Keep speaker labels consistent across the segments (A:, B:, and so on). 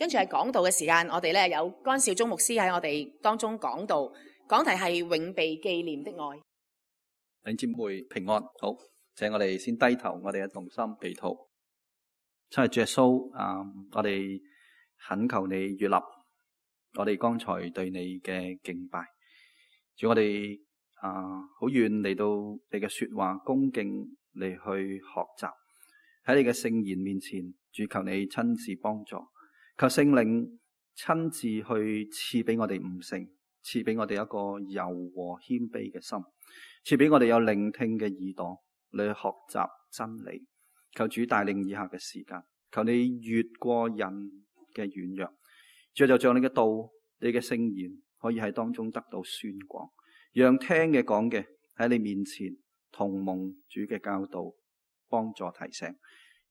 A: 跟住係講道嘅時間，我哋咧有關少忠牧師喺我哋當中講道，講題係永被紀念的愛。
B: 弟兄姊妹平安，好，請我哋先低頭，我哋嘅同心祈禱。親愛主耶穌，我哋懇求你悅納我哋剛才對你嘅敬拜。主，我哋好願嚟到你嘅說話，恭敬嚟去學習喺你嘅聖言面前。主，求你親自幫助，求聖靈親自去賜俾我哋悟性，賜俾我哋一個柔和謙卑嘅心，賜俾我哋有聆聽嘅耳朵嚟學習真理。求主帶領以下嘅時間，求你越過人嘅軟弱，主就將你嘅道、你嘅聖言可以喺當中得到宣講，讓聽嘅講嘅喺你面前同蒙主嘅教導，幫助提醒，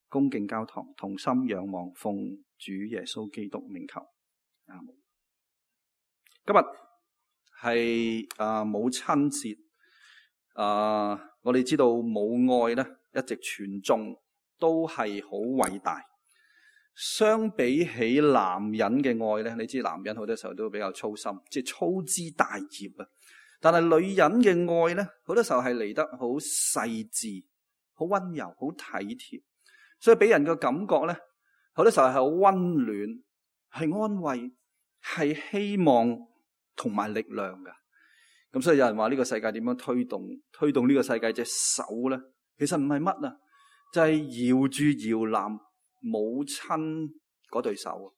B: 恭敬交託，同心仰望，奉主耶穌基督名求。阿門。今日係母親節，我哋知道母愛咧一直傳頌都係好偉大。相比起男人嘅愛咧，你知男人好多時候都比較粗心，即係粗枝大葉啊。但係女人嘅愛咧，好多時候係嚟得好細緻、好溫柔、好體貼，所以俾人嘅感覺咧，好多時候係好溫暖、係安慰、係希望同埋力量㗎。咁所以有人話呢個世界點樣推動呢個世界隻手咧，其實唔係乜啊，就係搖住搖籃母親嗰對手。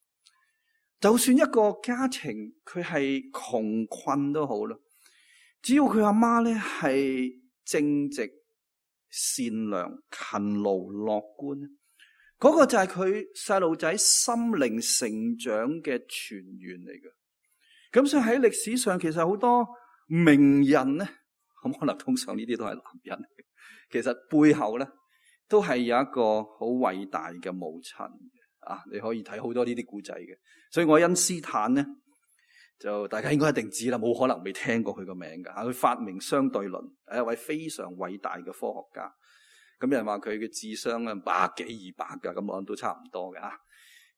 B: 就算一個家庭佢係窮困都好啦，只要佢阿媽咧係正直、善良、勤勞、樂觀，嗰個就係佢細路仔心靈成長嘅泉源嚟嘅。咁所以喺歷史上，其實好多名人咧，咁可能通常呢啲都係男人，其實背後咧都係有一個好偉大嘅母親啊！你可以睇好多呢啲故仔嘅。所以愛因斯坦咧，就大家應該一定知啦，冇可能未聽過佢個名噶。佢發明相對論，係一位非常偉大嘅科學家。咁有人話佢嘅智商啊100幾200噶，咁我諗都差唔多嘅啊。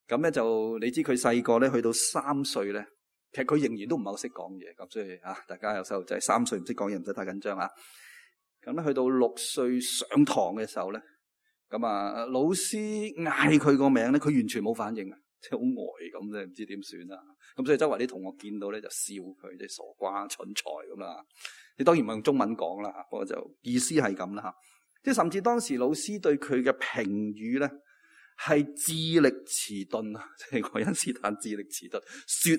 B: 咁咧就你知佢細個咧去到3歲咧，其實佢仍然都唔係好識講嘢。咁所以大家有細路仔3歲唔識講嘢，唔使太緊張啊。咁咧去到6歲上堂嘅時候咧，咁老師嗌佢個名咧，佢完全冇反應啊，即係好呆咁啫，唔知點算啊。咁所以周圍啲同學見到咧就笑佢，即係傻瓜蠢材咁啦。你當然唔係用中文講啦，不過就意思係咁啦。即係甚至當時老師對佢嘅評語咧係智力遲鈍啊，即係愛因斯坦智力遲鈍，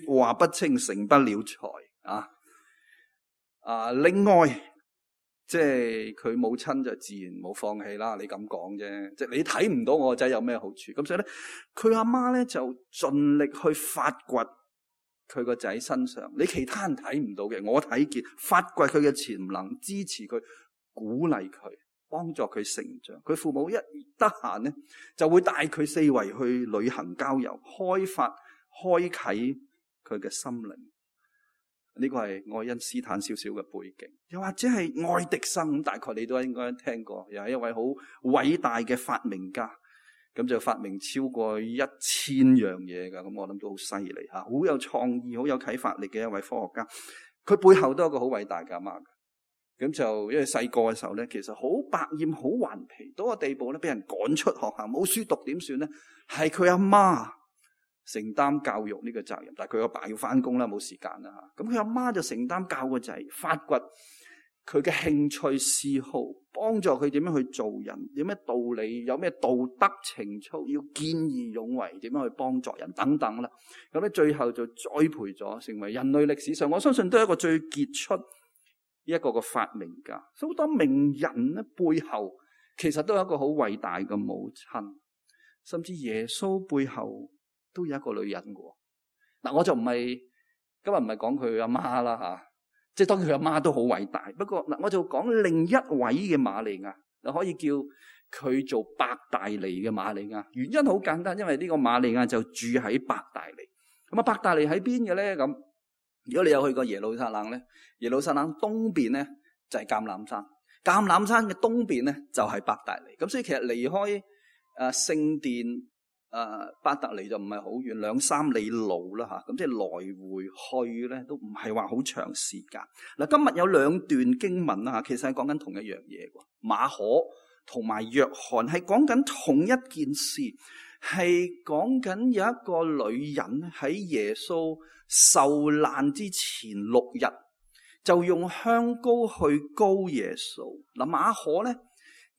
B: 說話不清，成不了才啊。另外即係佢母親就自然冇放棄啦。你咁講啫，即係你睇唔到我個仔有咩好處，咁所以咧佢阿媽咧就盡力去發掘佢個仔身上你其他人睇唔到嘅，我睇見，發掘佢嘅潛能，支持佢，鼓勵佢，幫助佢成長。佢父母一得閒咧就會帶佢四圍去旅行郊遊，開啟佢嘅心靈。呢個係愛因斯坦少少嘅背景，又或者係愛迪生，大概你都應該聽過，又係一位好偉大嘅發明家，咁就發明超過1000樣嘢噶，咁我諗都好犀利吓，好有創意、好有啟發力嘅一位科學家。佢背後都有一個好偉大嘅阿媽嘅，咁就因為細個嘅時候咧，其實好百厭、好頑皮，到個地步咧，俾人趕出學校，冇書讀點算咧？係佢阿媽承擔教育呢個責任，但係佢阿爸要翻工啦，冇時間啦吓。咁佢阿媽就承擔教個仔，發掘佢嘅興趣嗜好，幫助佢點樣去做人，有咩道理，有咩道德情操，要見義勇為，點樣去幫助人等等啦。咁咧最後就栽培咗，成為人類歷史上我相信都係一個最傑出一個發明家。所以好多名人咧背後其實都有一個好偉大嘅母親，甚至耶穌背後都有一個女人嘅。嗱，我就今日唔係講佢阿媽啦吓，即係當然佢阿媽都好偉大。不過嗱，我就講另一位嘅瑪利亞，就可以叫佢做伯大尼嘅瑪利亞。原因好簡單，因為呢個瑪利亞就住喺伯大尼。咁伯大尼喺邊嘅咧？咁如果你有去過耶路撒冷咧，耶路撒冷東邊咧就係橄欖山，橄欖山嘅東邊咧就係伯大尼。咁所以其實離開聖殿伯特利就唔係好遠，2-3里路啦吓，咁即係來回去咧都唔係話好長時間。嗱，今日有2段經文啦吓，其實係講緊同一樣嘢喎。馬可同埋約翰係講緊同一件事，係講緊有一個女人喺耶穌受難之前6日，就用香膏去膏耶穌。嗱，馬可咧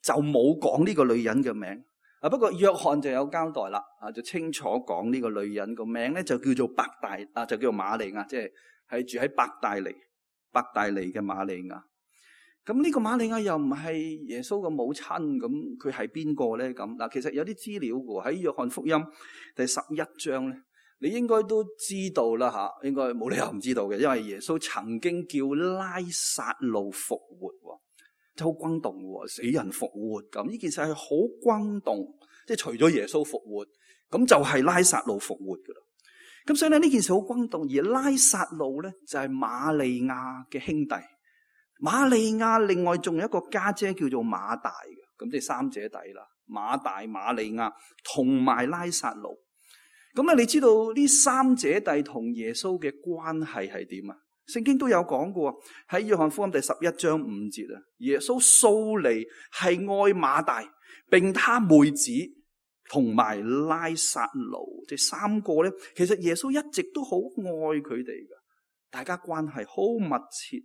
B: 就冇講呢個女人嘅名。不過約翰就有交代啦，就清楚講呢個女人個名咧就叫做就叫做瑪利亞，即係住喺伯大尼嘅瑪利亞。咁呢個瑪利亞又唔係耶穌嘅母親，咁佢係邊個咧？咁嗱，其實有啲資料嘅喺約翰福音第11章咧，你應該都知道啦吓，應該冇理由唔知道嘅，因為耶穌曾經叫拉撒路復活。好轟動喎，死人復活咁，呢件事係好轟動，即係除咗耶穌復活，咁就係拉撒路復活噶啦。咁所以咧呢件事好轟動，而拉撒路咧就係瑪利亞嘅兄弟，瑪利亞另外仲有一個家姐叫做馬大嘅，咁即係3姐弟啦，馬大、瑪利亞同埋拉撒路。咁你知道呢3姐弟同耶穌嘅關係係點啊？聖經都有講過，喺約翰福音第11章5節啊，耶穌素嚟係愛馬大，並他妹子同埋拉撒路，即係3個咧。其實耶穌一直都好愛佢哋噶，大家關係好密切，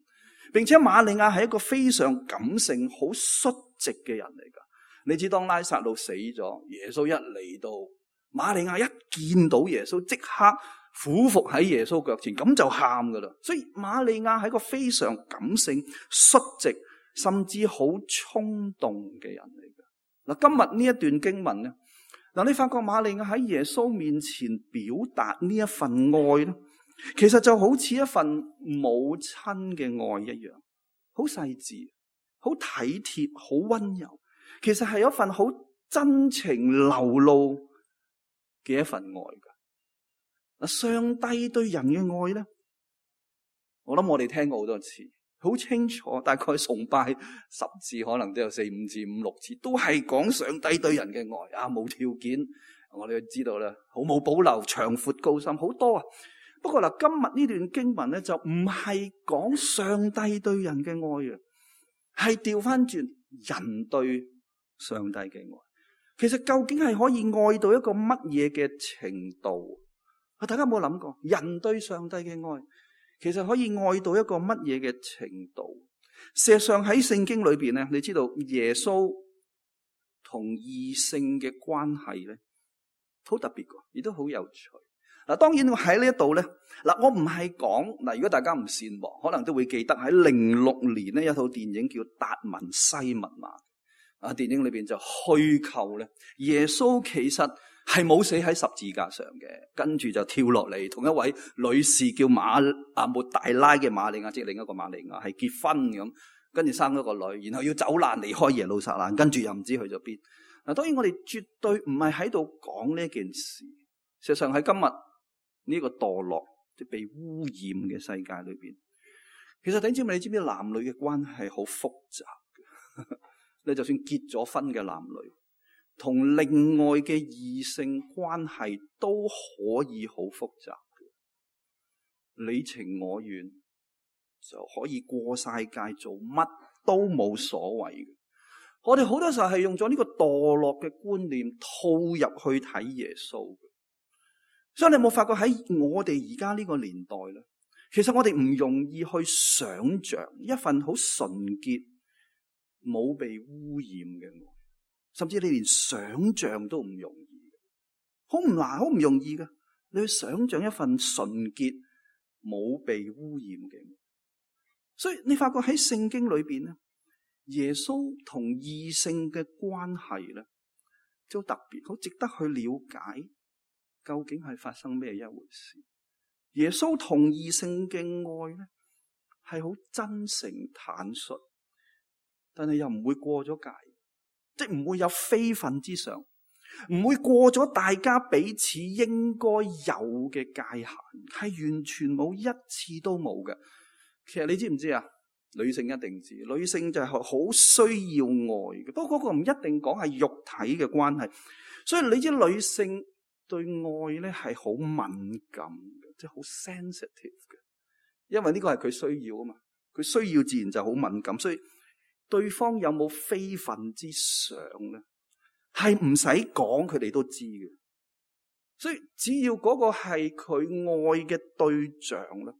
B: 並且瑪利亞係一個非常感性、好率直嘅人嚟噶。你知當拉撒路死咗，耶穌一嚟到，瑪利亞一見到耶穌，即刻俯伏喺耶穌腳前，咁就喊噶啦。所以瑪利亞係一個非常感性、率直，甚至好衝動嘅人嚟嘅。嗱，今日呢一段經文咧，嗱，你發覺瑪利亞喺耶穌面前表達呢一份愛咧，其實就好似一份母親嘅愛一樣，好細緻、好體貼、好溫柔。其實係有一份好真情流露嘅一份愛噶。上帝對人嘅愛咧，我諗我哋聽過好多次，好清楚，大概崇拜10次，可能都有4、5次、5、6次，都係講上帝對人嘅愛啊，無條件。我哋知道啦，毫無保留、長闊高深，好多啊。不過嗱，今日呢段經文咧就唔係講上帝對人嘅愛啊，係調翻轉人對上帝嘅愛。其實究竟係可以愛到一個乜嘢嘅程度？大家有冇諗過，人對上帝嘅愛，其實可以愛到一個乜嘢嘅程度？事實上喺聖經裏邊咧，你知道耶穌同異性嘅關係咧，好特別噶，亦都好有趣。嗱，當然我喺呢一度咧，嗱，我唔係講嗱，如果大家唔善忘，可能都會記得喺06年咧，有一套電影叫《達文西密碼》啊，電影裏邊就虛構咧，耶穌其實係冇死喺十字架上嘅，跟住就跳落嚟，同一位女士叫抹大拉嘅瑪利亞，即係另一個瑪利亞，係結婚咁，跟住生咗個女，然後要走難離開耶路撒冷，跟住又唔知去咗邊。嗱，當然我哋絕對唔係喺度講呢件事。事實上喺今日呢個墮落即係被污染嘅世界裏邊，其實弟兄姊妹，你知唔知男女嘅關係好複雜嘅？你就算結咗婚嘅男女，同另外嘅異性關係都可以好複雜嘅，你情我願就可以過晒界，做乜都冇所謂嘅。我哋好多時候係用咗呢個墮落嘅觀念套入去睇耶穌嘅，所以你有冇發覺喺我哋而家呢個年代咧，其實我哋唔容易去想像一份好純潔、冇被污染嘅愛。甚至你連想象都唔容易，好唔難，好唔容易㗎。你去想象一份純潔、冇被污染嘅，所以你發覺喺聖經裏邊咧，耶穌同異性嘅關係咧，就特別好值得去了解，究竟係發生咩一回事？耶穌同異性嘅愛咧，係好真誠坦率，但係又唔會過咗界。即係唔會有非分之想，唔會過咗大家彼此應該有嘅界限，係完全冇，一次都冇嘅。其實你知唔知啊？女性一定知，女性就係好需要愛嘅。不過嗰個唔一定講係肉體嘅關係，所以你知女性對愛咧係好敏感嘅，即係好 sensitive 嘅，因為呢個係佢需要啊嘛，佢需要自然就好敏感，所以對方有冇非分之想咧，係唔使講佢哋都知嘅。所以只要嗰個係佢愛嘅對象啦，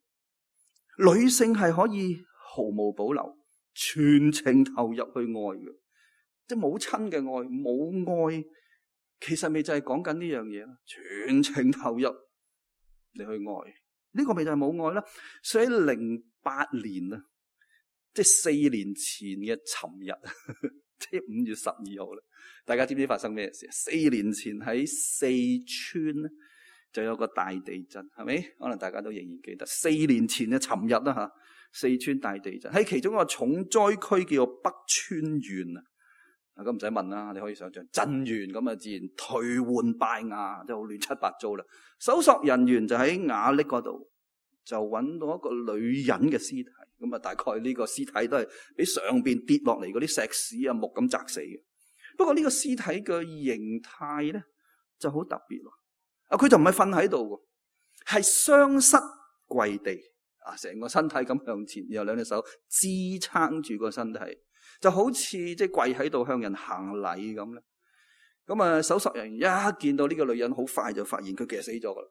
B: 女性係可以毫無保留、全情投入去愛嘅，即係母親嘅愛、母愛，其實咪就係講緊呢樣嘢啦，全情投入你去愛，呢個咪就係母愛啦。所以喺08年啊，即係4年前嘅尋日，即係5月12號啦。大家知唔知發生咩事？4年前喺四川咧就有個大地震，係咪？可能大家都仍然記得。4年前嘅尋日啦吓，四川大地震喺其中一個重災區叫做北川縣啊。咁唔使問啦，你可以想象震完咁啊，自然頹垣敗瓦，即係好亂七八糟啦。搜索人員就喺瓦礫嗰度就揾到一個女人嘅屍體，咁啊大概呢個屍體都係俾上邊跌落嚟嗰啲石屎啊木咁砸死嘅。不過呢個屍體嘅形態咧就好特別咯，佢就唔係瞓喺度嘅，係雙膝跪地啊，成個身體咁向前，然後兩隻手支撐住個身體，就好似即係跪喺度向人行禮咁咧。咁啊，搜索人員一見到呢個女人，好快就發現佢其實死咗噶啦。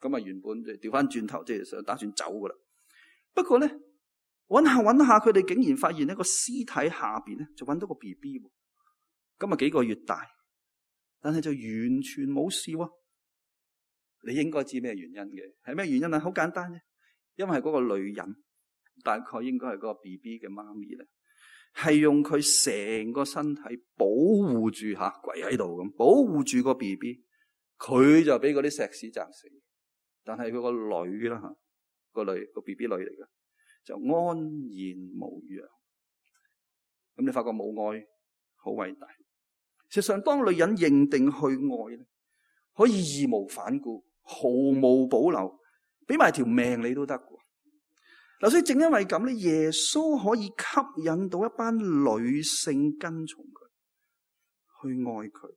B: 咁啊，原本就調翻轉頭，即係想打算走噶啦。不過咧，揾下，佢哋竟然發現呢個屍體下邊咧就揾到個 BB。今日幾個月大，但係就完全冇事喎。你應該知咩原因嘅？係咩原因啊？好簡單啫，因為嗰個女人大概應該係嗰個 BB 嘅媽咪咧，係用佢成個身體保護住吓，跪喺度咁保護住個 BB， 佢就俾嗰啲石屎砸死。但係佢個女啦吓，個 BB 女嚟嘅，就安然無恙。咁你發覺母愛好偉大。事實上，當女人認定去愛咧，可以義無反顧、毫無保留，俾埋條命你都得嘅。嗱，所以正因為咁咧，耶穌可以吸引到一班女性跟從佢，去愛佢。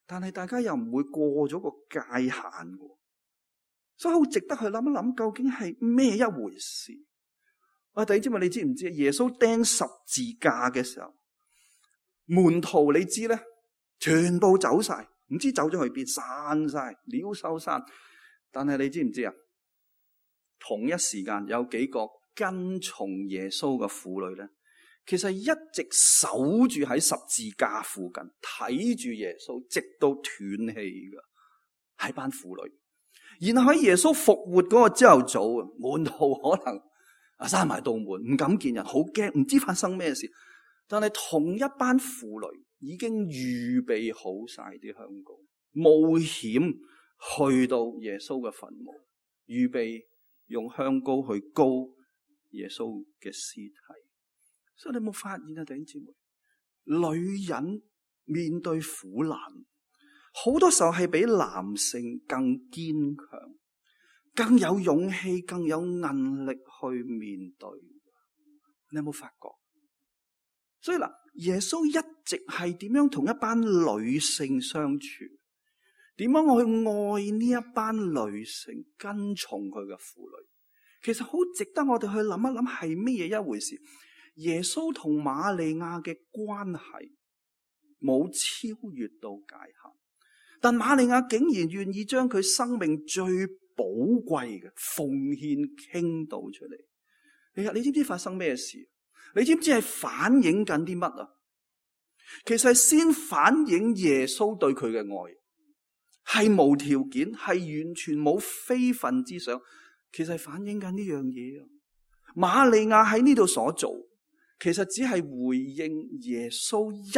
B: 但係大家又唔會過咗個界限嘅，所以好值得去諗一諗，究竟係咩一回事？弟兄姊妹，你知唔知耶穌釘十字架嘅時候，門徒你知咧，全部走晒，唔知走咗去邊，散晒，鳥獸散。但係你知唔知啊？同一時間有幾個跟從耶穌嘅婦女咧，其實一直守住喺十字架附近，睇住耶穌，直到斷氣嘅，係班婦女。然後喺耶穌復活嗰個朝頭早啊，門徒可能閂埋道門，唔敢見人，好驚，唔知發生咩事。但係同一班婦女已經預備好晒啲香膏，冒險去到耶穌嘅墳墓，預備用香膏去膏耶穌嘅屍體。所以你有冇發現啊，弟兄姊妹，女人面對苦難，好多時候係比男性更堅強、更有勇氣、更有韌力去面對。你有冇發覺？所以嗱，耶穌一直係點樣同一班女性相處？點樣去愛呢一班女性，跟從佢嘅婦女？其實好值得我哋去諗一諗，係咩嘢一回事？耶穌同瑪利亞嘅關係冇超越到界限，但瑪利亞竟然願意將佢生命最寶貴嘅奉獻傾倒出嚟。你知唔知發生咩事？你知唔知係反映緊啲乜啊？其實係先反映耶穌對佢嘅愛，係無條件，係完全冇非分之想。其實係反映緊呢樣嘢啊！瑪利亞喺呢度所做，其實只係回應耶穌一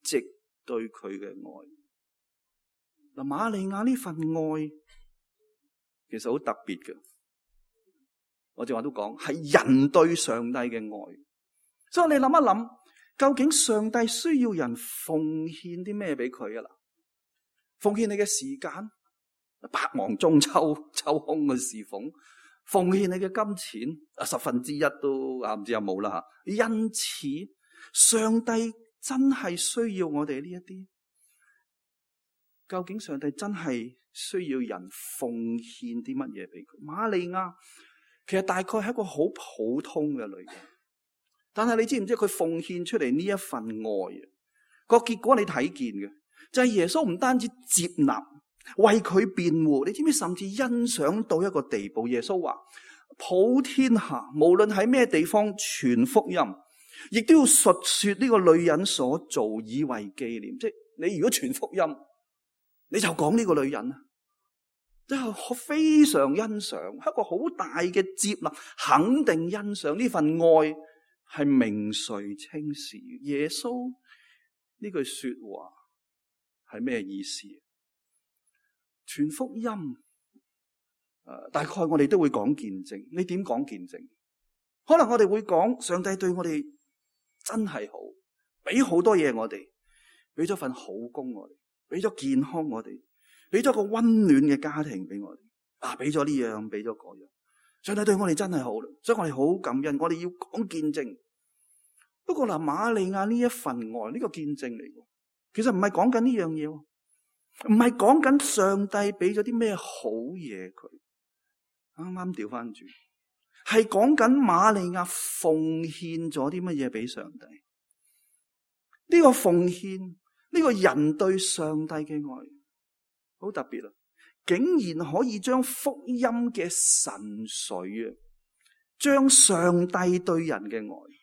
B: 直對佢嘅愛。嗱，瑪利亞呢份愛其實好特別嘅。我正話都講，係人對上帝嘅愛。所以你諗一諗，究竟上帝需要人奉獻啲咩俾佢啊？嗱，奉獻你嘅時間，百忙中抽空去侍奉，奉獻你嘅金錢1/10都唔知有冇啦吓。因此，上帝真係需要我哋呢一啲。究竟上帝真係需要人奉獻啲乜嘢俾佢？瑪利亞其實大概係一個好普通嘅女人，但係你知唔知佢奉獻出嚟呢一份愛啊？個結果你睇見嘅就係耶穌唔單止接納，為佢辯護，你知唔知甚至欣賞到一個地步？耶穌話：普天下無論喺咩地方傳福音，亦都要述說呢個女人所做，以為紀念。即係你如果傳福音，你就講呢個女人啊，即係非常欣賞，一個好大嘅接納，肯定欣賞呢份愛係名垂青史。耶穌呢句說話係咩意思？傳福音，大概我哋都會講見證。你點講見證？可能我哋會講上帝對我哋真係好，俾好多嘢我哋，俾咗份好工我哋，俾咗健康我哋，俾咗個溫暖嘅家庭俾我哋，俾咗呢樣，俾咗嗰樣。上帝對我哋真係好，所以我哋好感恩。我哋要講見證。不過嗱，瑪利亞呢一份愛，呢個見證嚟嘅，其實唔係講緊呢樣嘢，唔係講緊上帝俾咗啲咩好嘢佢。啱啱調翻轉，係講緊瑪利亞奉獻咗啲乜嘢俾上帝。呢個奉獻，呢個人對上帝嘅愛好特別啊！竟然可以將福音嘅神髓啊，將上帝對人嘅愛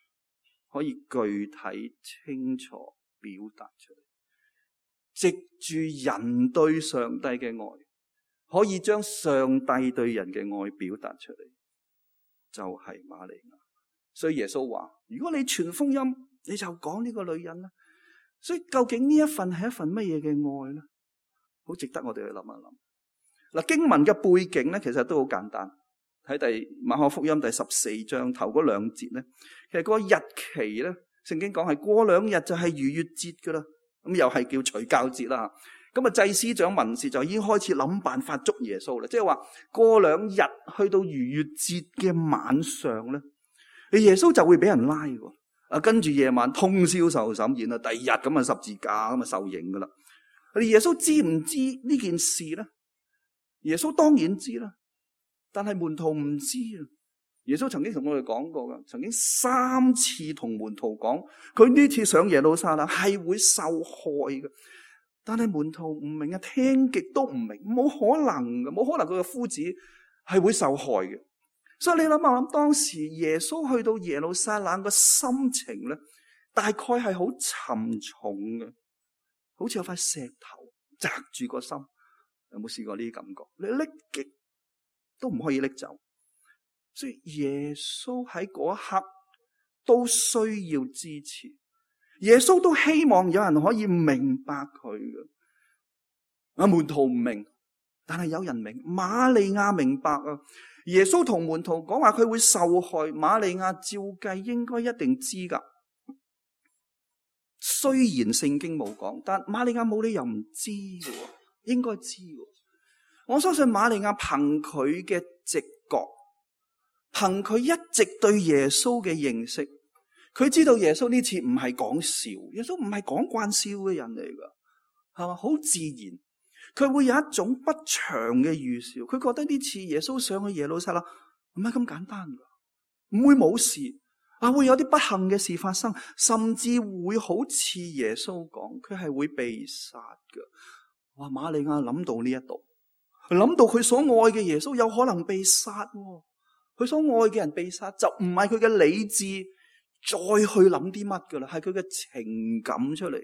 B: 可以具體清楚表達出嚟，藉住人對上帝嘅愛，可以將上帝對人嘅愛表達出嚟，就係瑪利亞。所以耶穌話：如果你傳福音，你就講呢個女人啦。所以究竟呢一份係一份乜嘢嘅愛咧？好值得我哋去諗一諗。嗱，經文嘅背景咧，其實都好簡單。喺馬可福音第14章頭嗰兩節咧，其實個日期咧，聖經講係過2日就係逾越節噶啦，咁又係叫除酵節啦。咁啊，祭司長文士就已經開始諗辦法捉耶穌啦，即係話過2日去到逾越節嘅晚上咧，耶穌就會俾人拉喎。跟住夜晚通宵受審判啦，第2日咁啊十字架咁啊受刑噶啦。耶穌知唔知呢件事咧？耶穌當然知啦，但係門徒唔知啊。耶穌曾經同我哋講過噶，曾經3次同門徒講，佢呢次上耶路撒冷係會受害嘅。但係門徒唔明啊，聽極都唔明，冇可能嘅，冇可能佢嘅夫子係會受害嘅。所以你諗下，當時耶穌去到耶路撒冷嘅心情咧，大概係好沉重嘅，好似有塊石頭砸住個心。有冇試過呢啲感覺？你拎極都唔可以拎走。所以耶穌喺嗰一刻都需要支持，耶穌都希望有人可以明白佢嘅。門徒唔明，但係有人明。瑪利亞明白啊！耶穌同門徒講話佢會受害，瑪利亞照計應該一定知噶。雖然聖經冇講，但瑪利亞冇理由唔知嘅，應該知嘅。我相信瑪利亞憑佢嘅直覺，憑佢一直對耶穌嘅認識，佢知道耶穌呢次唔係講笑，耶穌唔係講慣笑嘅人嚟噶，係嘛？好自然。佢會有一種不祥嘅預兆，佢覺得呢次耶穌上去耶路撒冷唔係咁簡單噶，唔會冇事啊，會有啲不幸嘅事發生，甚至會好似耶穌講，佢係會被殺噶。哇！瑪利亞諗到呢一度，諗到佢所愛嘅耶穌有可能被殺，佢所愛嘅人被殺，就唔係佢嘅理智再去諗啲乜噶啦，係佢嘅情感出嚟，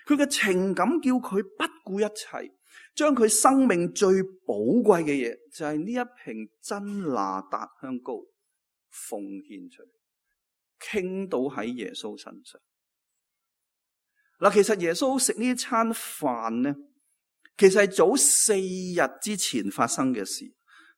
B: 佢嘅情感叫佢不顧一切。將佢生命最寶貴嘅嘢，就係呢一瓶真哪噠香膏奉獻出嚟，傾倒喺耶穌身上。嗱，其實耶穌食呢餐飯咧，其實係早4日之前發生嘅事。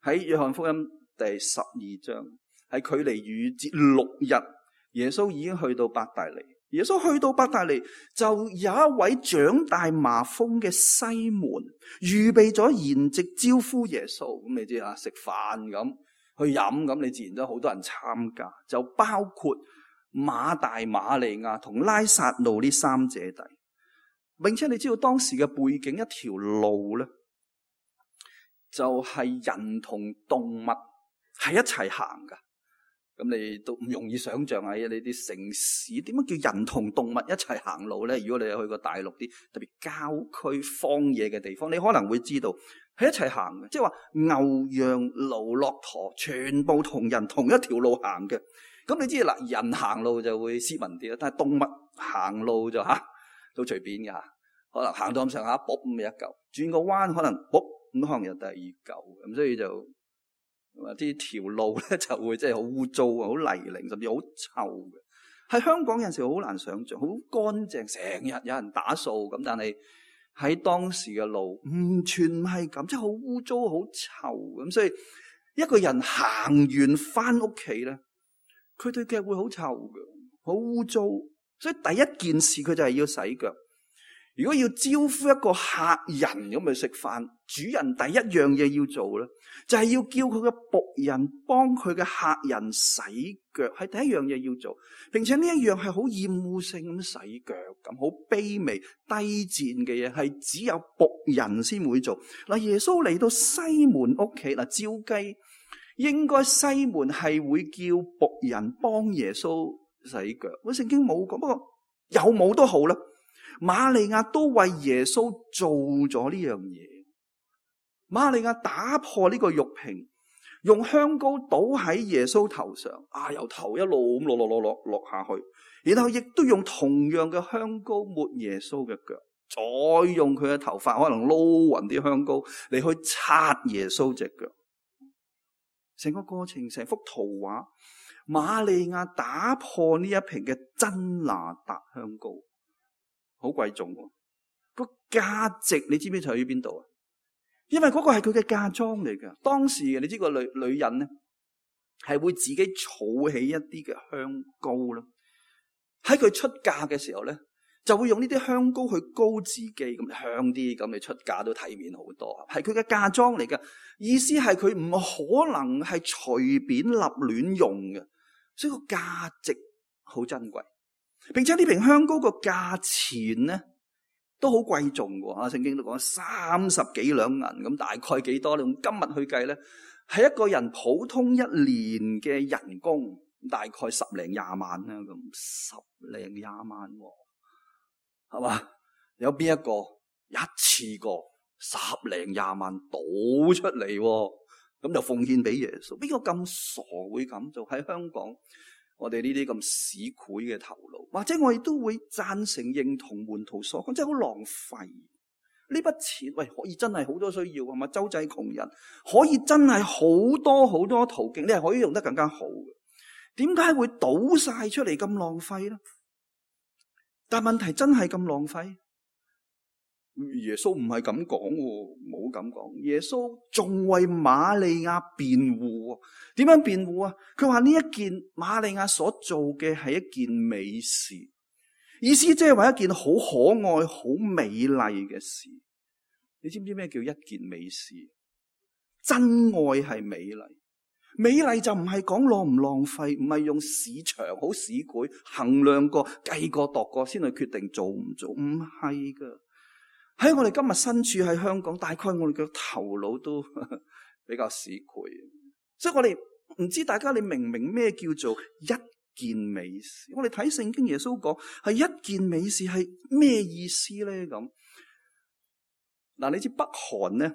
B: 喺約翰福音第12章，係距離逾越節6日，耶穌已經去到伯大尼。耶穌去到伯大尼，就有一位長大麻風嘅西門預備咗筵席招呼耶穌。咁你知啊，食飯咁去飲咁，你自然都好多人參加，就包括馬大、馬利亞同拉撒路呢3姐弟。並且你知道當時嘅背景，一條路咧，就係人同動物係一齊行噶。咁你都唔容易想象喺你啲城市點樣叫人同動物一齊行路咧？如果你有去過大陸啲特別郊區荒野嘅地方，你可能會知道係一齊行嘅，即係話牛羊驢駱駝全部同人同一條路行嘅。咁你知嗱，人行路就會斯文啲啦，但係動物行路就都隨便嘅，可能行到咁上下，卜咁一嚿，轉個彎可能卜咁可能有第二嚿，咁所以就啲條路咧就會即係好污糟啊，好泥濘，甚至好臭嘅。喺香港有陣時好難想象，好乾淨，成日有人打掃咁，但係喺當時嘅路完全唔係咁，即係好污糟、好臭咁。所以一個人行完翻屋企咧，佢對腳會好臭嘅，好污糟。所以第一件事佢就係要洗腳。如果要招呼一個客人咁去食飯，主人第一樣嘢要做咧，就係要叫佢嘅僕人幫佢嘅客人洗腳，係第一樣嘢要做。並且呢一樣係好厭惡性咁洗腳，咁好卑微低賤嘅嘢，係只有僕人先會做。嗱，耶穌嚟到西門屋企，嗱，照計應該西門係會叫僕人幫耶穌洗腳。我聖經冇講，不過有冇都好啦。瑪利亞都為耶穌做咗呢樣嘢。瑪利亞打破呢個玉瓶，用香膏倒喺耶穌頭上，由頭一路咁落下去，然後亦都用同樣嘅香膏抹耶穌嘅腳，再用佢嘅頭髮可能撈勻啲香膏嚟去擦耶穌隻腳。成個過程，成幅圖畫，瑪利亞打破呢一瓶嘅真哪噠香膏。好貴重喎，個價值你知唔知在於邊度啊？因為嗰個係佢嘅嫁妝嚟㗎。當時你知個女人咧係會自己儲起一啲嘅香膏啦，喺佢出嫁嘅時候咧就會用呢啲香膏去膏自己，咁香啲，咁你出嫁都體面好多。係佢嘅嫁妝嚟㗎，意思係佢唔可能係隨便立亂用嘅，所以個價值好珍貴。並且呢瓶香膏個價錢咧都好貴重嘅，聖經都講30幾兩銀，咁大概幾多？你用今日去計咧，係一個人普通一年嘅人工，大概10零20萬啦，咁10零20萬，係嘛？有邊一個一次過10零20萬倒出嚟，咁就奉獻俾耶穌？邊個咁傻會咁做？喺香港，我哋呢啲咁市儈嘅頭腦，或者我亦都會贊成認同門徒所講，真係好浪費呢筆錢。喂，可以真係好多需要，係嘛？周濟窮人，可以真係好多好多途徑，你係可以用得更加好嘅。點解會倒晒出嚟咁浪費咧？但問題真係咁浪費？耶穌唔係咁講，冇咁講。耶穌仲為瑪利亞辯護。點樣辯護啊？佢話呢一件瑪利亞所做嘅係一件美事，意思即係話一件好可愛、好美麗嘅事。你知唔知咩叫一件美事？真愛係美麗，美麗就唔係講浪唔浪費，唔係用市場好市儈衡量過、計過、度過先去決定做唔做，唔係噶。喺我哋今日身處喺香港，大概我哋嘅頭腦都比較市儈，所以我哋唔知大家你明唔明咩叫做一件美事？我哋睇聖經耶穌講係一件美事係咩意思咧？咁嗱，你知北韓咧，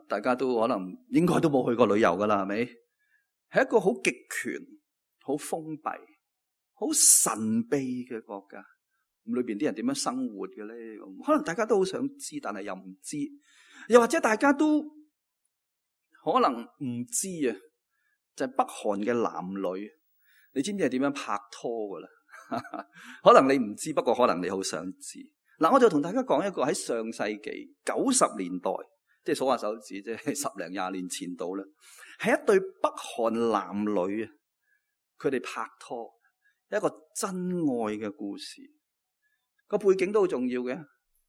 B: 大家都可能應該都冇去過旅遊噶啦，係咪？係一個好極權、好封閉、好神秘嘅國家。咁裏邊啲人點樣生活嘅咧？可能大家都好想知，但係又唔知，又或者大家都可能唔知啊。就係北韓嘅男女，你知唔知係點樣拍拖噶啦？可能你唔知，不過可能你好想知。嗱，我就同大家講一個喺上世紀90年代，即係數下手指，即係10零20年前度啦，係一對北韓男女啊，佢哋拍拖，一個真愛嘅故事。個背景都好重要嘅，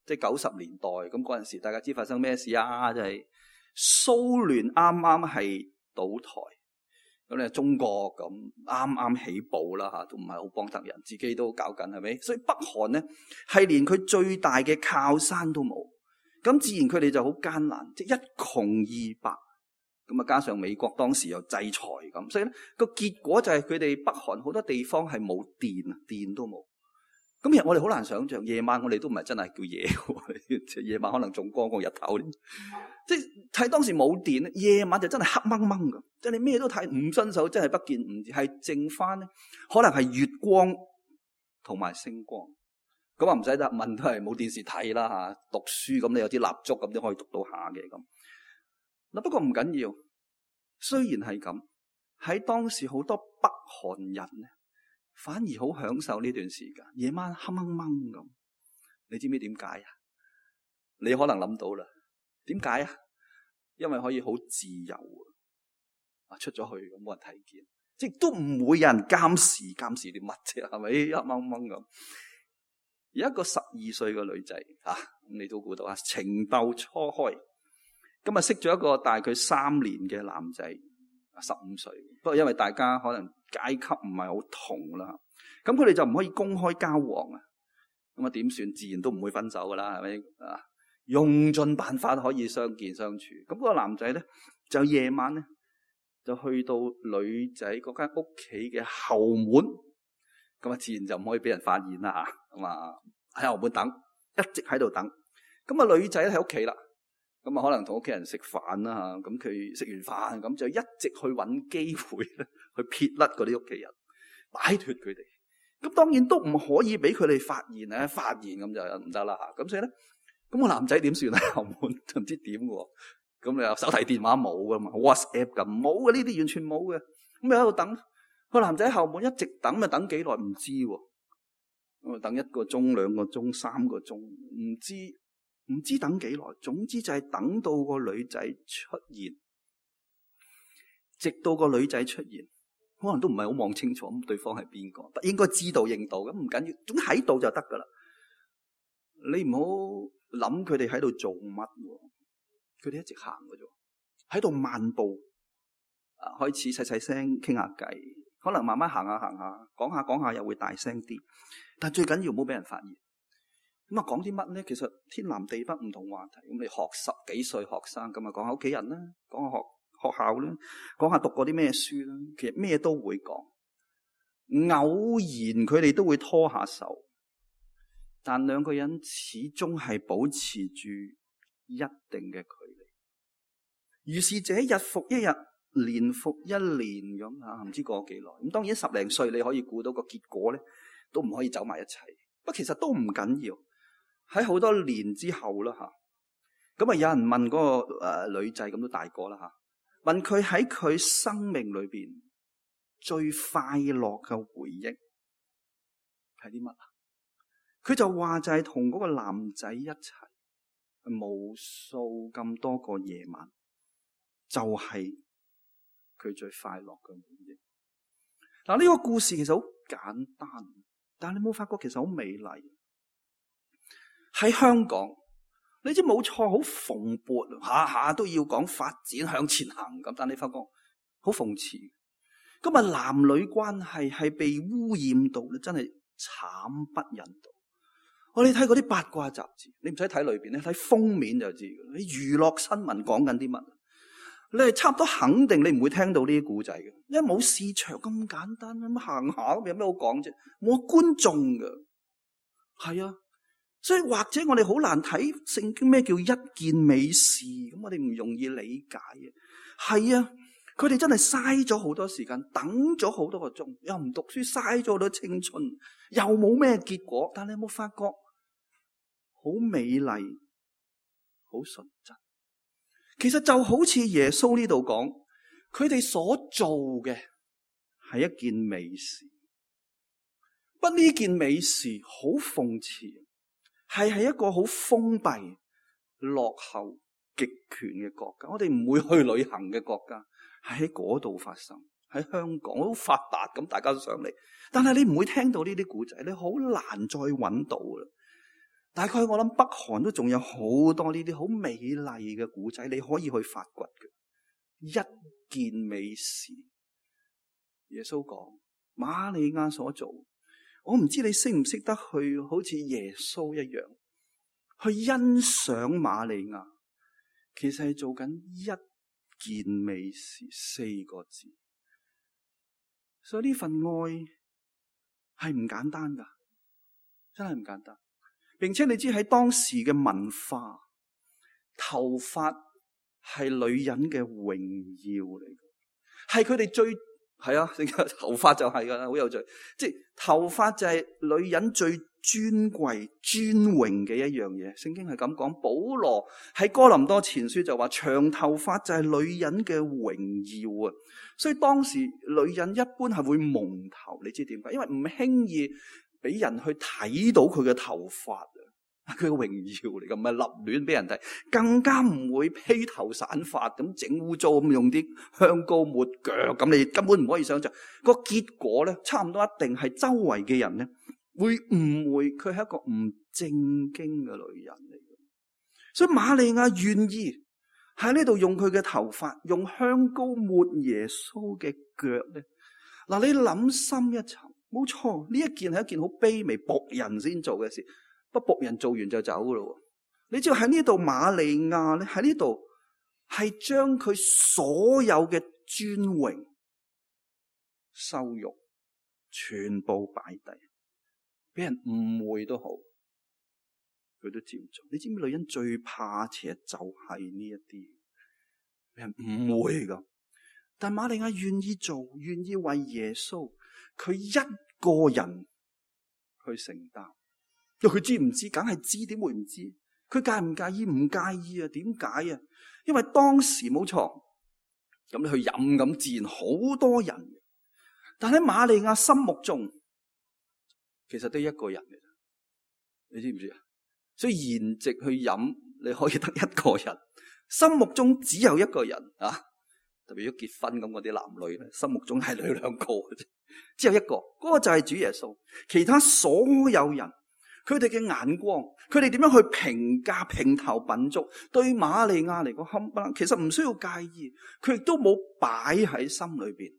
B: 即係90年代咁嗰陣時，大家知發生咩事啊？就係蘇聯啱啱係倒台，咁咧中國咁啱啱起步啦嚇，都唔係好幫得人，自己都搞緊係咪？所以北韓咧係連佢最大嘅靠山都冇，咁自然佢哋就好艱難，即係一窮二白。咁啊，加上美國當時又制裁咁，所以咧個結果就係佢哋北韓好多地方係冇電啊，電都冇。咁其實我哋好難想象，夜晚我哋都唔係真係叫夜喎，夜晚可能仲光過日頭。即係睇當時冇電咧，夜晚就真係黑掹掹㗎，即係你咩都睇唔伸手，真係不見唔係剩翻咧，可能係月光同埋星光。咁啊唔使得問，都係冇電視睇啦嚇，讀書咁你有啲蠟燭咁都可以讀到下嘅咁。嗱，不過唔緊要，雖然係咁，喺當時好多北韓人咧，反而好享受呢段時間，夜晚黑掹掹咁。你知唔知點解啊？你可能諗到啦，點解啊？因為可以好自由啊，出咗去咁冇人睇見，即係都唔會有人監視啲乜啫，係咪黑掹掹咁？有一個12歲嘅女仔啊，你都估到啊，情竇初開。今日識咗一個大概3年嘅男仔，15歲。不過因為大家可能階級唔係好同啦，咁佢哋就唔可以公開交往啊。咁啊點算？自然都唔會分手噶啦，係咪啊？用盡辦法可以相見相處。咁嗰個男仔咧就夜晚咧就去到女仔嗰間屋企嘅後門，咁啊自然就唔可以俾人發現啦嚇。咁啊喺後門等，一直喺度等。咁啊女仔喺屋企啦。咁啊，可能同屋企人食飯啦嚇，咁佢食完飯咁就一直去揾機會咧，去撇甩嗰啲屋企人，擺脱佢哋。咁當然都唔可以俾佢哋發現咧，發現咁就唔得啦嚇。咁所以咧，咁個男仔點算咧？後門就唔知點喎。咁你有手提電話冇噶嘛 ？WhatsApp 咁冇嘅，呢啲完全冇嘅。咁你喺度等個男仔喺後門一直等，咪等幾耐唔知喎。咁啊，等1個鐘、2個鐘、3個鐘，唔知等幾耐，總之就係等到個女仔出現，直到個女仔出現，可能都唔係好望清楚咁對方係邊個，應該知道認到咁唔緊要，總之喺度就得噶啦。你唔好諗佢哋喺度做乜，佢哋一直行嘅啫，喺度漫步，開始細細聲傾下偈，可能慢慢行下行下，講下又會大聲啲，但最緊要唔好俾人發現。咁啊，講啲乜咧？其實天南地北唔同話題。咁你學10幾歲學生，咁啊講下屋企人啦，講下學校啦，講下讀過啲咩書啦。其實咩都會講，偶然佢哋都會拖下手，但兩個人始終係保持住一定嘅距離。於是者日復一日，年復一年咁啊，唔知過咗幾耐。咁當然10零歲你可以估到個結果咧，都唔可以走埋一齊。不過其實都唔緊要。喺好多年之後啦嚇，咁啊有人問嗰個女仔，咁都大個啦嚇，問佢喺佢生命裏邊最快樂嘅回憶係啲乜啊？佢就話就係同嗰個男仔一齊無數咁多個夜晚，就係佢最快樂嘅回憶。嗱，呢個故事其實好簡單，但係你冇發覺其實好美麗。喺香港，你知冇錯，好蓬勃，下下都要講發展向前行咁，但你發覺好諷刺。今日男女關係係被污染到咧，真係慘不忍睹。我哋睇嗰啲八卦雜誌，你唔使睇裏邊，你睇封面就知。你娛樂新聞講緊啲乜？你係差唔多肯定你唔會聽到呢啲故仔嘅，因為冇市場咁簡單，咁行下咁有咩好講啫？冇觀眾㗎，係啊。所以或者我哋好難睇聖經咩叫一件美事，咁我哋唔容易理解嘅。係啊，佢哋真係嘥咗好多時間，等咗好多個鐘，又唔讀書，嘥咗好多青春，又冇咩結果。但你有冇發覺好美麗，好純真？其實就好似耶穌呢度講，佢哋所做嘅係一件美事，不呢件美事好諷刺。係一個好封閉、落後、極權嘅國家，我哋唔會去旅行嘅國家，係喺嗰度發生。喺香港好發達咁，大家都上嚟，但係你唔會聽到呢啲故仔，你好難再揾到啦。大概我諗北韓都仲有好多呢啲好美麗嘅故仔，你可以去發掘嘅。一件美事耶穌講瑪利亞所做，我唔知你識唔識得去好似耶穌一樣去欣賞瑪利亞，其實係做緊一件美事，4個字。所以呢份愛係唔簡單噶，真係唔簡單。並且你知喺當時嘅文化，頭髮係女人嘅榮耀嚟嘅，係佢哋最係啊，頭髮就係噶啦，好有趣。即係頭髮就係女人最尊貴、尊榮嘅一樣嘢。聖經係咁講，保羅喺哥林多前書就話，長頭髮就係女人嘅榮耀啊。所以當時女人一般係會蒙頭，你知點解？因為唔輕易俾人去睇到佢嘅頭髮啊，佢嘅榮耀嚟噶，唔係立亂俾人睇，更加唔會披頭散髮咁整污糟咁用啲香膏抹腳，咁你根本唔可以想象個結果咧，差唔多一定係周圍嘅人咧會誤會佢係一個唔正經嘅女人嚟嘅。所以瑪利亞願意喺呢度用佢嘅頭髮，用香膏抹耶穌嘅腳咧。嗱，你諗深一層，冇錯，呢一件係一件好卑微僕人先做嘅事。不過僕人做完就走噶咯。你知道喺呢度瑪利亞咧，喺呢度係將佢所有嘅尊榮、羞辱全部擺低，俾人誤會都好，佢都照做。你知唔知女人最怕嘅就係呢一啲俾人誤會噶？但瑪利亞願意做，願意為耶穌佢一個人去承擔。佢知唔知？梗係知，點會唔知？佢介唔介意？唔介意啊？點解啊？因為當時冇錯，咁你去飲咁自然好多人，但喺瑪利亞心目中，其實得一個人嘅，你知唔知啊？所以筵席去飲，你可以得一個人，心目中只有一個人啊！特別如果結婚咁嗰啲男女咧，心目中係兩個嘅啫，只有一個，嗰個就係主耶穌。其他所有人，佢哋嘅眼光，佢哋點樣去評價評頭品足，對瑪利亞嚟講冚唪唥，其實唔需要介意，佢亦都冇擺喺心裏邊，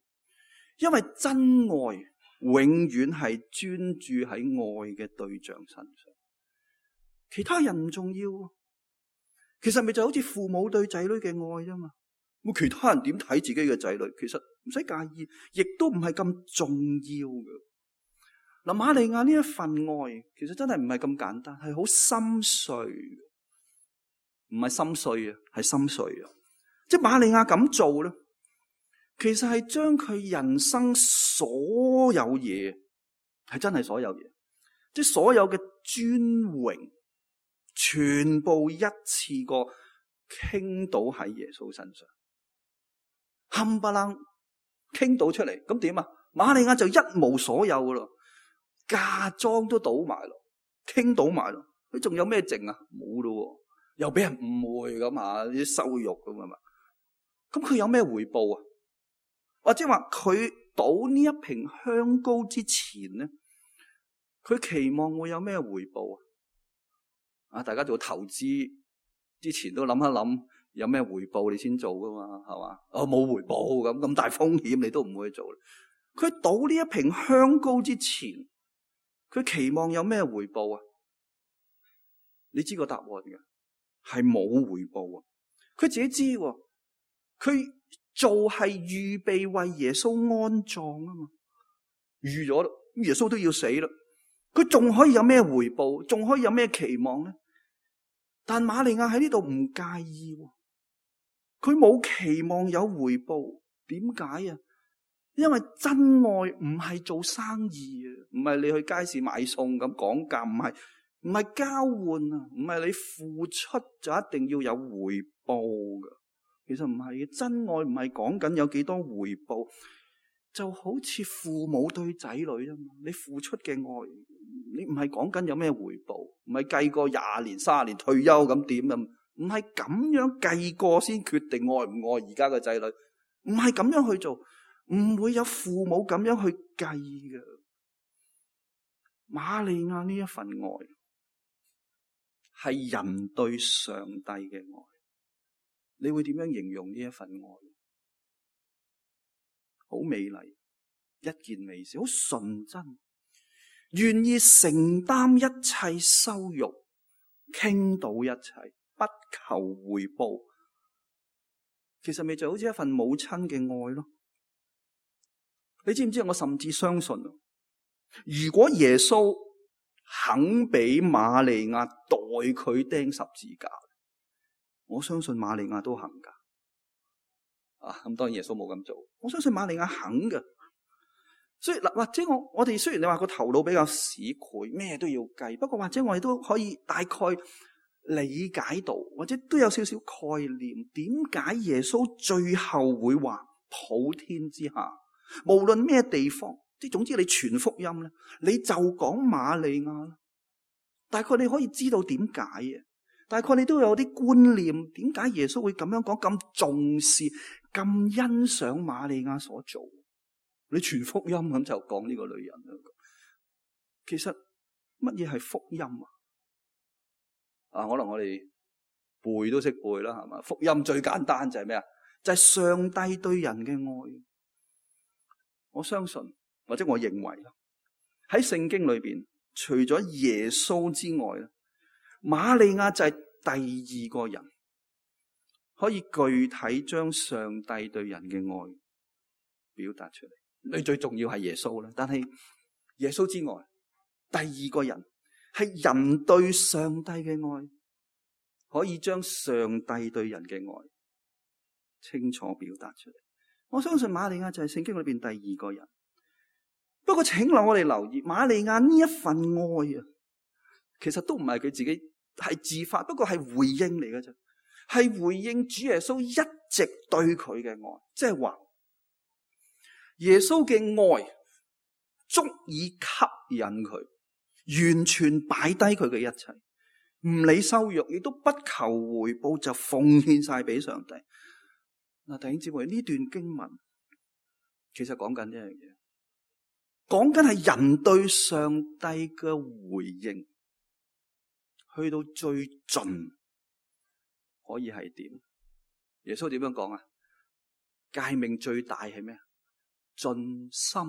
B: 因為真愛永遠係專注喺愛嘅對象身上，其他人唔重要。其實咪就好似父母對仔女嘅愛啫嘛。咁其他人點睇自己嘅仔女，其實唔使介意，亦都唔係咁重要嘅。嗱，瑪利亞呢一份愛，其實真係唔係咁簡單，係好心碎，唔係心碎啊，係心碎啊！即係瑪利亞咁做咧，其實係將佢人生所有嘢，係真係所有嘢，即係所有嘅尊榮，全部一次過傾倒喺耶穌身上，冚唪唥傾倒出嚟，咁點啊？瑪利亞就一無所有噶咯。嫁妝都倒埋咯，傾倒埋咯，佢仲有咩剩啊？冇咯，又俾人誤會咁啊，啲羞辱咁啊嘛。咁佢有咩回報啊？或者話佢倒呢一瓶香膏之前咧，佢期望會有咩回報啊？啊，大家做投資之前都諗一諗有咩回報你先做噶嘛，係嘛？哦，冇回報咁大風險你都唔會做。佢倒呢一瓶香膏之前，佢期望有咩回報啊？你知個答案嘅，係冇回報啊！佢自己知，佢做係預備為耶穌安葬啊嘛，預咗啦，耶穌都要死啦，佢仲可以有咩回報？仲可以有咩期望咧？但瑪利亞喺呢度唔介意，佢冇期望有回報，點解啊？因為真愛唔係做生意啊，唔係你去街市買餸咁講價，唔係交換啊，唔係你付出就一定要有回報噶。其實唔係嘅，真愛唔係講緊有幾多回報，就好似父母對仔女啊嘛。你付出嘅愛，你唔係講緊有咩回報，唔係計過20年、30年退休咁點啊？唔係咁樣計過先決定愛唔愛而家嘅仔女，唔係咁樣去做。唔會有父母咁樣去計嘅。瑪利亞呢一份愛係人對上帝嘅愛，你會點樣形容呢一份愛？好美麗，一件美事，好純真，願意承擔一切羞辱，傾倒一切，不求回報。其實咪就好似一份母親嘅愛咯。你知唔知我甚至相信，如果耶穌肯俾瑪利亞代佢釘十字架，我相信瑪利亞都肯噶。咁當然耶穌冇咁做，我相信瑪利亞肯噶。所以嗱，或者我哋雖然你話個頭腦比較市儈，咩都要計，不過或者我哋都可以大概理解到，或者都有少少概念，點解耶穌最後會話普天之下，無論咩地方，即係總之你傳福音咧，你就講瑪利亞啦。大概你可以知道點解嘅，大概你都有啲觀念，點解耶穌會咁樣講，咁重視、咁欣賞瑪利亞所做。你傳福音咁就講呢個女人啦。其實乜嘢係福音啊？可能我哋背都識背啦，係嘛？福音最簡單就係咩啊？就係上帝對人嘅愛。我相信或者我認為啦，喺聖經裏邊，除咗耶穌之外咧，瑪利亞就係第二個人可以具體將上帝對人嘅愛表達出嚟。你最重要係耶穌啦，但係耶穌之外，第二個人係人對上帝嘅愛，可以將上帝對人嘅愛清楚表達出嚟。我相信瑪利亞就係聖經裏邊第二個人。不過請讓我哋留意，瑪利亞呢一份愛啊，其實都唔係佢自己係自發，不過係回應嚟嘅啫，係回應主耶穌一直對佢嘅愛，即係話耶穌嘅愛足以吸引佢，完全擺低佢嘅一切，唔理羞辱，亦都不求回報，就奉獻晒俾上帝。嗱，弟兄姊妹，呢段經文其實講緊一樣嘢，講緊係人對上帝嘅回應，去到最盡可以係點？耶穌點樣講啊？誡命最大係咩？盡心、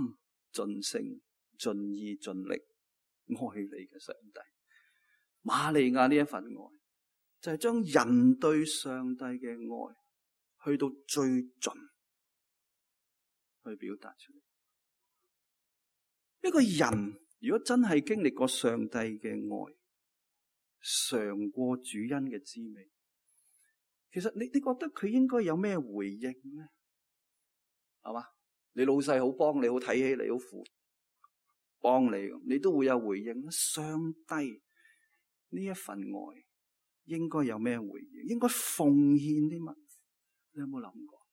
B: 盡性、盡意、盡力愛你嘅上帝。瑪利亞呢一份愛，就係將人對上帝嘅愛去到最盡去表達出嚟。一個人如果真係經歷過上帝嘅愛，嘗過主恩嘅滋味，其實你覺得佢應該有咩回應咧？係嘛？你老細好幫你，好睇起你，好扶幫你，你都會有回應。上帝呢一份愛應該有咩回應？應該奉獻啲乜？你有冇諗過？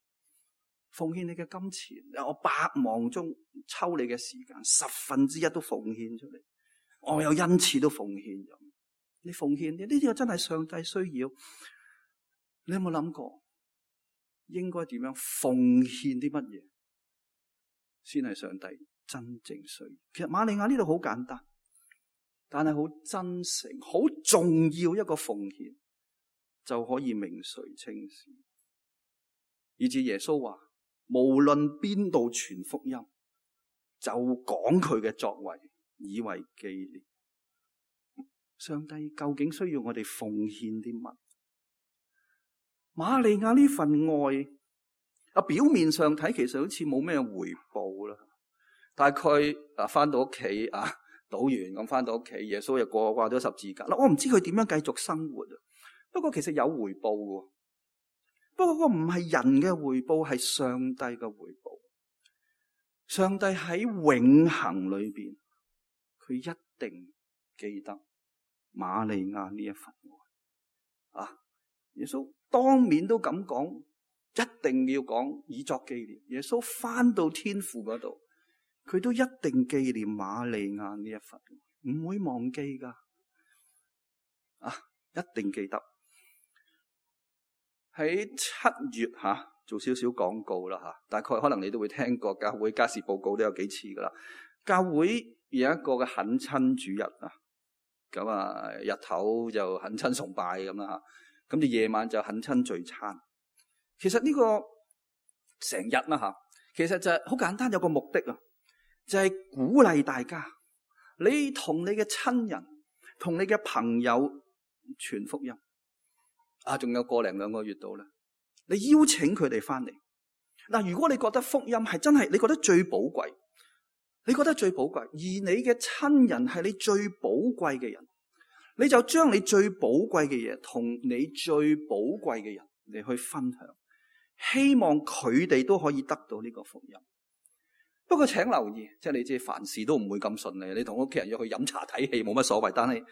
B: 奉獻你嘅金錢，我百忙中抽你嘅時間1/10都奉獻出嚟，我有恩賜都奉獻咗。你奉獻呢啲真係上帝需要。你有冇諗過應該點樣奉獻啲乜嘢先係上帝真正需要？其實瑪利亞呢度好簡單，但係好真誠、好重要一個奉獻，就可以名垂青史。以至耶穌話，無論邊度傳福音，就講佢嘅作為，以為紀念。上帝究竟需要我哋奉獻啲乜？瑪利亞呢份愛，表面上睇其實好似冇咩回報啦。大概翻到屋企賭完咁翻到屋企，耶穌又掛咗十字架啦。我唔知佢點樣繼續生活啊。不過其實有回報嘅，不過嗰個唔係人嘅回報，係上帝嘅回報。上帝喺永恆裏邊，佢一定記得瑪利亞呢一份愛。耶穌當面都咁講，一定要講以作紀念。耶穌翻到天父嗰度，佢都一定紀念瑪利亞呢一份愛，唔會忘記噶。一定記得。喺7月做少少廣告啦，大概可能你都會聽過，教會家事報告都有幾次噶啦。教會有一個嘅懇親主日咁日頭就懇親崇拜咁啦，咁就夜晚就懇親聚餐。其實呢個成日啦，其實就係好簡單，有個目的啊，就係鼓勵大家，你同你嘅親人、同你嘅朋友傳福音。仲有個零兩個月到啦，你邀請佢哋翻嚟。嗱，如果你覺得福音係真係你覺得最寶貴，而你嘅親人係你最寶貴嘅人，你就將你最寶貴嘅嘢同你最寶貴嘅人嚟去分享，希望佢哋都可以得到呢個福音。不過請留意，即係你知凡事都唔會咁順利。你同屋企人約去飲茶睇戲冇乜所謂，但係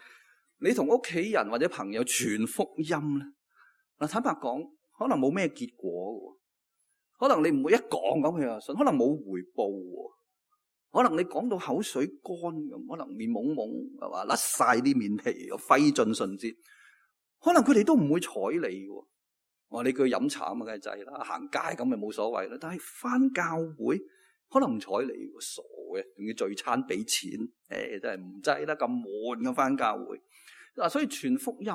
B: 你同屋企人或者朋友傳福音咧，嗱，坦白講，可能冇咩結果。可能你唔會一講咁佢就信，可能冇回報，可能你講到口水乾咁，可能面懵懵係嘛，甩晒啲面皮，又費盡唇舌，可能佢哋都唔會睬你嘅。我話你叫佢飲茶咁啊，梗係制啦，行街咁咪冇所謂啦。但係翻教會可能唔睬你，傻嘅，仲要聚餐俾錢，真係唔制啦，咁悶嘅翻教會。嗱，所以傳福音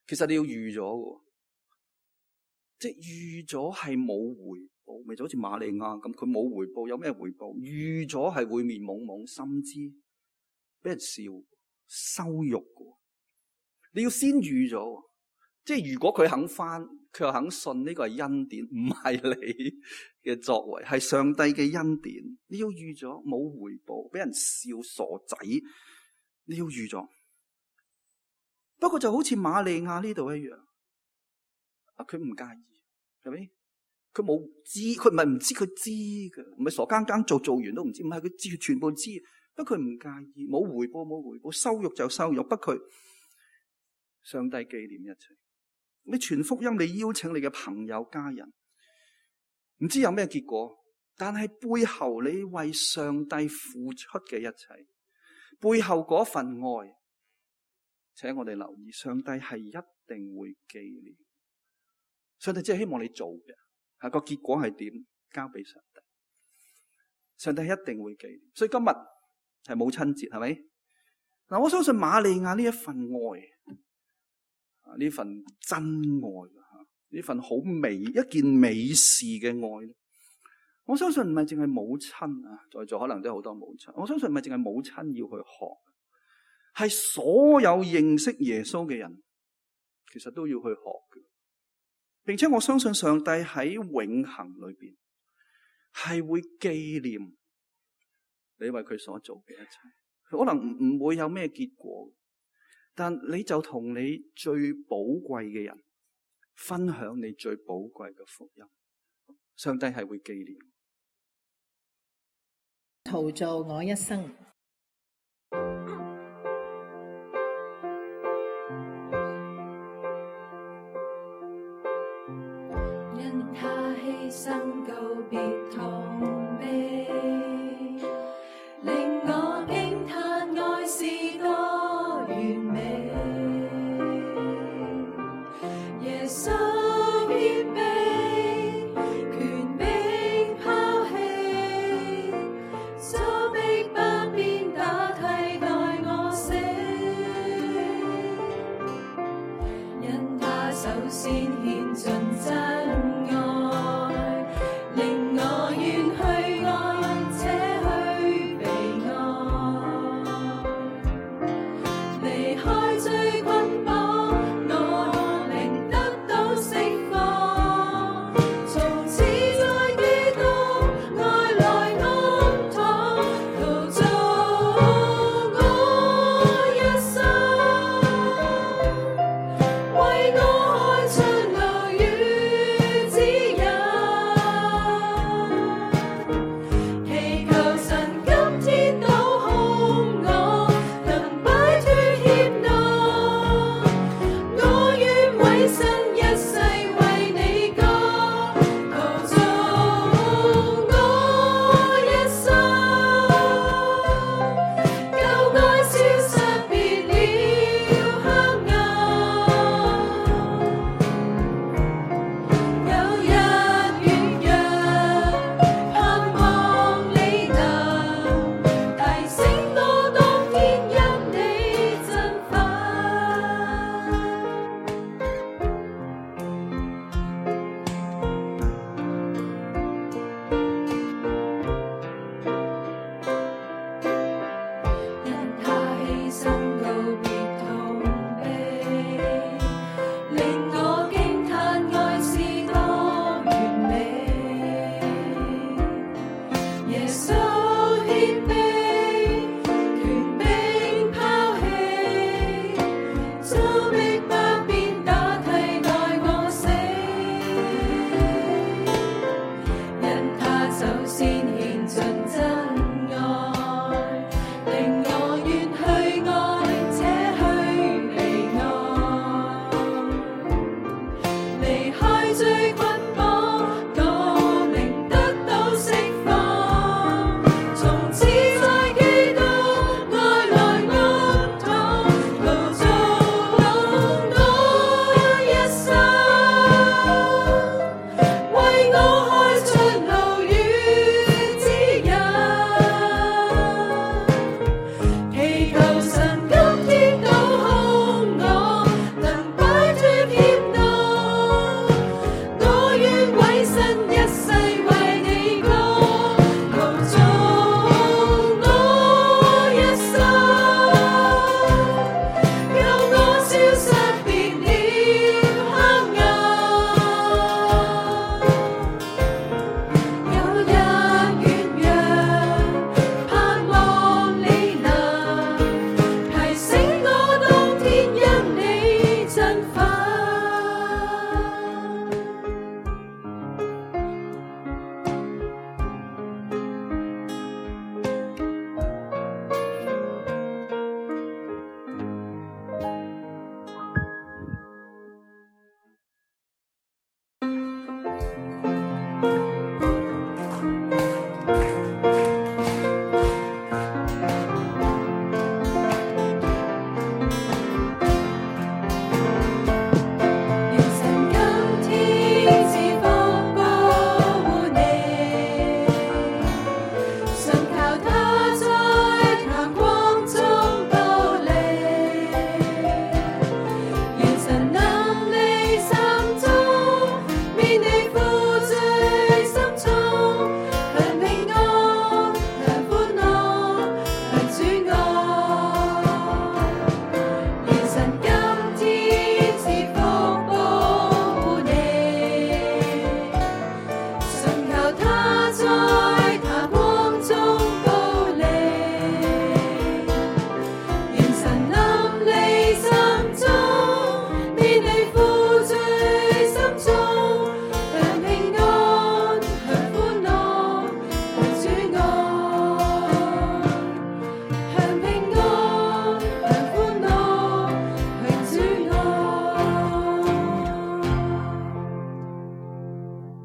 B: 其實你要預咗嘅。即係預咗係冇回報，咪就好似瑪利亞咁，佢冇回報，有咩回報？預咗係會面懵懵，甚至俾人笑、羞辱嘅。你要先預咗，即係如果佢肯翻，佢又肯信，呢個係恩典，唔係你嘅作為，係上帝嘅恩典。你要預咗冇回報，俾人笑傻仔，你要預咗。不過就好似瑪利亞呢度一樣。佢唔介意，係咪？佢冇知，佢唔係唔知，佢知嘅，唔係傻更更做完都唔知，唔係佢知，佢全部知。不過佢唔介意，冇回報，羞辱就羞辱。不過上帝紀念一切。你傳福音，你邀請你嘅朋友家人，唔知有咩結果，但係背後你為上帝付出嘅一切，背後嗰份愛，請我哋留意，上帝係一定會紀念。上帝只係希望你做嘅，個結果係點，交俾上帝。上帝一定會紀念。所以今日係母親節，係咪？嗱，我相信瑪利亞呢一份愛，呢份真愛，呢份好美一件美事嘅愛，我相信唔係淨係母親啊，在座可能都有好多母親。我相信唔係淨係母親要去學，係所有認識耶穌嘅人，其實都要去學嘅。並且我相信上帝喺永恆裏邊係會紀念你為佢所做嘅一切，可能唔會有咩結果，但你就同你最寶貴嘅人分享你最寶貴嘅福音，上帝係會紀念。
C: 陶造我一生。
D: 犧牲告別痛悲，令我驚嘆愛是多完美。耶穌謙卑，權柄拋棄，遭逼不鞭打替代我死，因他首先獻盡真愛。令我願去愛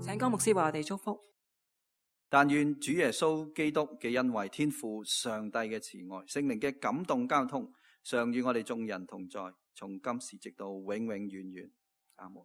E: 請江牧師為我哋祝福。
B: 但願主耶穌基督嘅恩惠、天父上帝嘅慈愛、聖靈嘅感動交通，常與我哋眾人同在，從今時直到永永遠遠。阿門。